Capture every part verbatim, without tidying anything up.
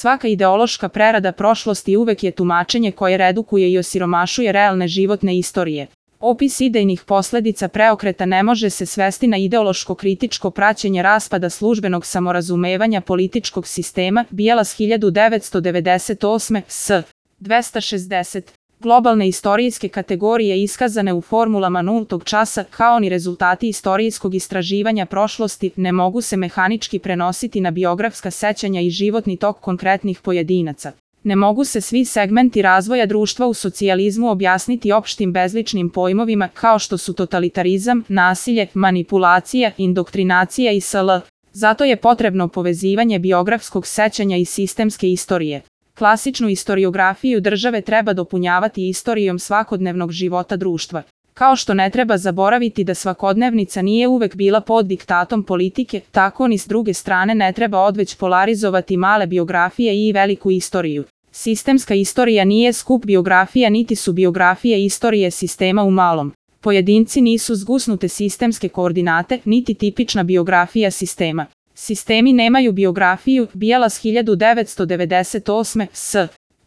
Svaka ideološka prerada prošlosti uvek je tumačenje koje redukuje i osiromašuje realne životne istorije. Opis idejnih posledica preokreta ne može se svesti na ideološko-kritičko praćenje raspada službenog samorazumevanja političkog sistema, Bielas hiljadu devetsto devedeset osme. s. dvesta šezdeset. Globalne istorijske kategorije iskazane u formulama nultog časa, kao ni rezultati istorijskog istraživanja prošlosti, ne mogu se mehanički prenositi na biografska sećanja i životni tok konkretnih pojedinaca. Ne mogu se svi segmenti razvoja društva u socijalizmu objasniti opštim bezličnim pojmovima kao što su totalitarizam, nasilje, manipulacija, indoktrinacija i sl. Zato je potrebno povezivanje biografskog sećanja i sistemske istorije. Klasičnu istoriografiju države treba dopunjavati istorijom svakodnevnog života društva. Kao što ne treba zaboraviti da svakodnevnica nije uvek bila pod diktatom politike, tako ni s druge strane ne treba odveć polarizovati male biografije i veliku istoriju. Sistemska istorija nije skup biografija niti su biografije istorije sistema u malom. Pojedinci nisu zgusnute sistemske koordinate, niti tipična biografija sistema. Sistemi nemaju biografiju, Bielas hiljadu devetsto devedeset osme. s.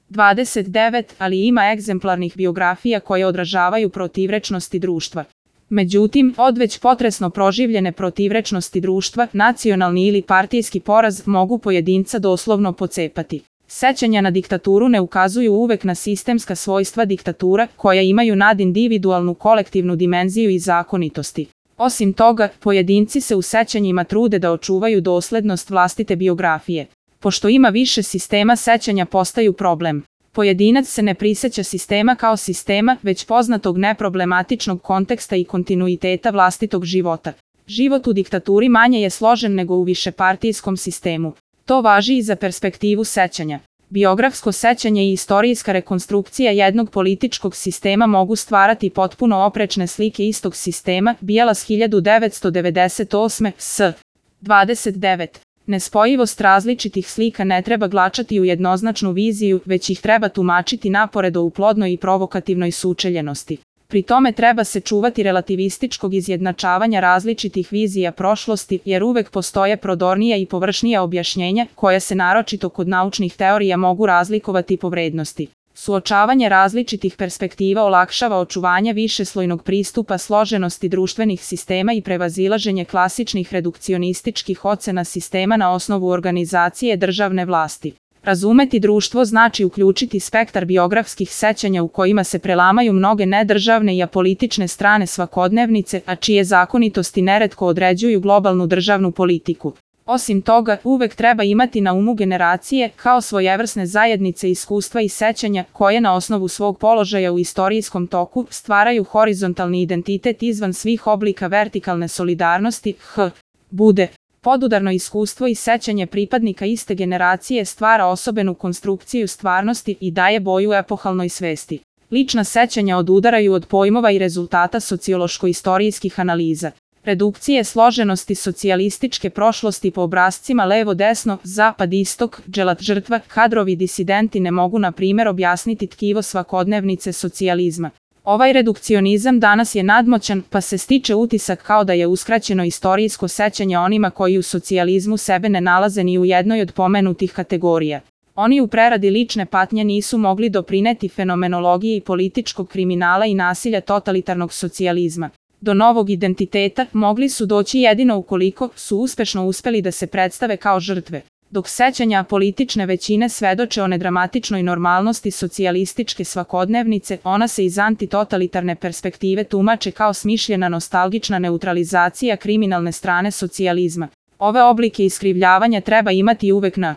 dvadeset devet, ali ima egzemplarnih biografija koje odražavaju protivrečnosti društva. Međutim, odveć potresno proživljene protivrečnosti društva, nacionalni ili partijski poraz mogu pojedinca doslovno pocepati. Sećanja na diktaturu ne ukazuju uvek na sistemska svojstva diktatura, koja imaju nadindividualnu kolektivnu dimenziju i zakonitosti. Osim toga, pojedinci se u sećanjima trude da očuvaju doslednost vlastite biografije. Pošto ima više sistema, sećanja postaju problem. Pojedinac se ne priseća sistema kao sistema, već poznatog neproblematičnog konteksta i kontinuiteta vlastitog života. Život u diktaturi manje je složen nego u višepartijskom sistemu. To važi i za perspektivu sećanja. Biografsko sećanje i istorijska rekonstrukcija jednog političkog sistema mogu stvarati potpuno oprečne slike istog sistema, Bielas hiljadu devetsto devedeset osme. s. dvadeset devet. Nespojivost različitih slika ne treba glačati u jednoznačnu viziju, već ih treba tumačiti naporedo u plodnoj i provokativnoj sučeljenosti. Pri tome treba se čuvati relativističkog izjednačavanja različitih vizija prošlosti, jer uvek postoje prodornija i površnija objašnjenja, koja se naročito kod naučnih teorija mogu razlikovati po vrednosti. Suočavanje različitih perspektiva olakšava očuvanje višeslojnog pristupa složenosti društvenih sistema i prevazilaženje klasičnih redukcionističkih ocena sistema na osnovu organizacije državne vlasti. Razumeti društvo znači uključiti spektar biografskih sećanja u kojima se prelamaju mnoge nedržavne i apolitične strane svakodnevnice, a čije zakonitosti neretko određuju globalnu državnu politiku. Osim toga, uvek treba imati na umu generacije kao svojevrsne zajednice iskustva i sećanja koje na osnovu svog položaja u istorijskom toku stvaraju horizontalni identitet izvan svih oblika vertikalne solidarnosti. h. Bude. Podudarno iskustvo i sećanje pripadnika iste generacije stvara osobenu konstrukciju stvarnosti i daje boju epohalnoj svesti. Lična sećanja odudaraju od pojmova i rezultata sociološko-istorijskih analiza. Redukcije složenosti socijalističke prošlosti po obrascima levo-desno, zapad-istok, dželat žrtva, kadrovi disidenti ne mogu na primjer objasniti tkivo svakodnevnice socijalizma. Ovaj redukcionizam danas je nadmoćan, pa se stiče utisak kao da je uskraćeno istorijsko sećanje onima koji u socijalizmu sebe ne nalaze ni u jednoj od pomenutih kategorija. Oni u preradi lične patnje nisu mogli doprineti fenomenologiji političkog kriminala i nasilja totalitarnog socijalizma. Do novog identiteta mogli su doći jedino ukoliko su uspešno uspeli da se predstave kao žrtve. Dok sećanja politične većine svedoče o nedramatičnoj normalnosti socijalističke svakodnevnice, ona se iz antitotalitarne perspektive tumače kao smišljena nostalgična neutralizacija kriminalne strane socijalizma. Ove oblike iskrivljavanja treba imati uvek na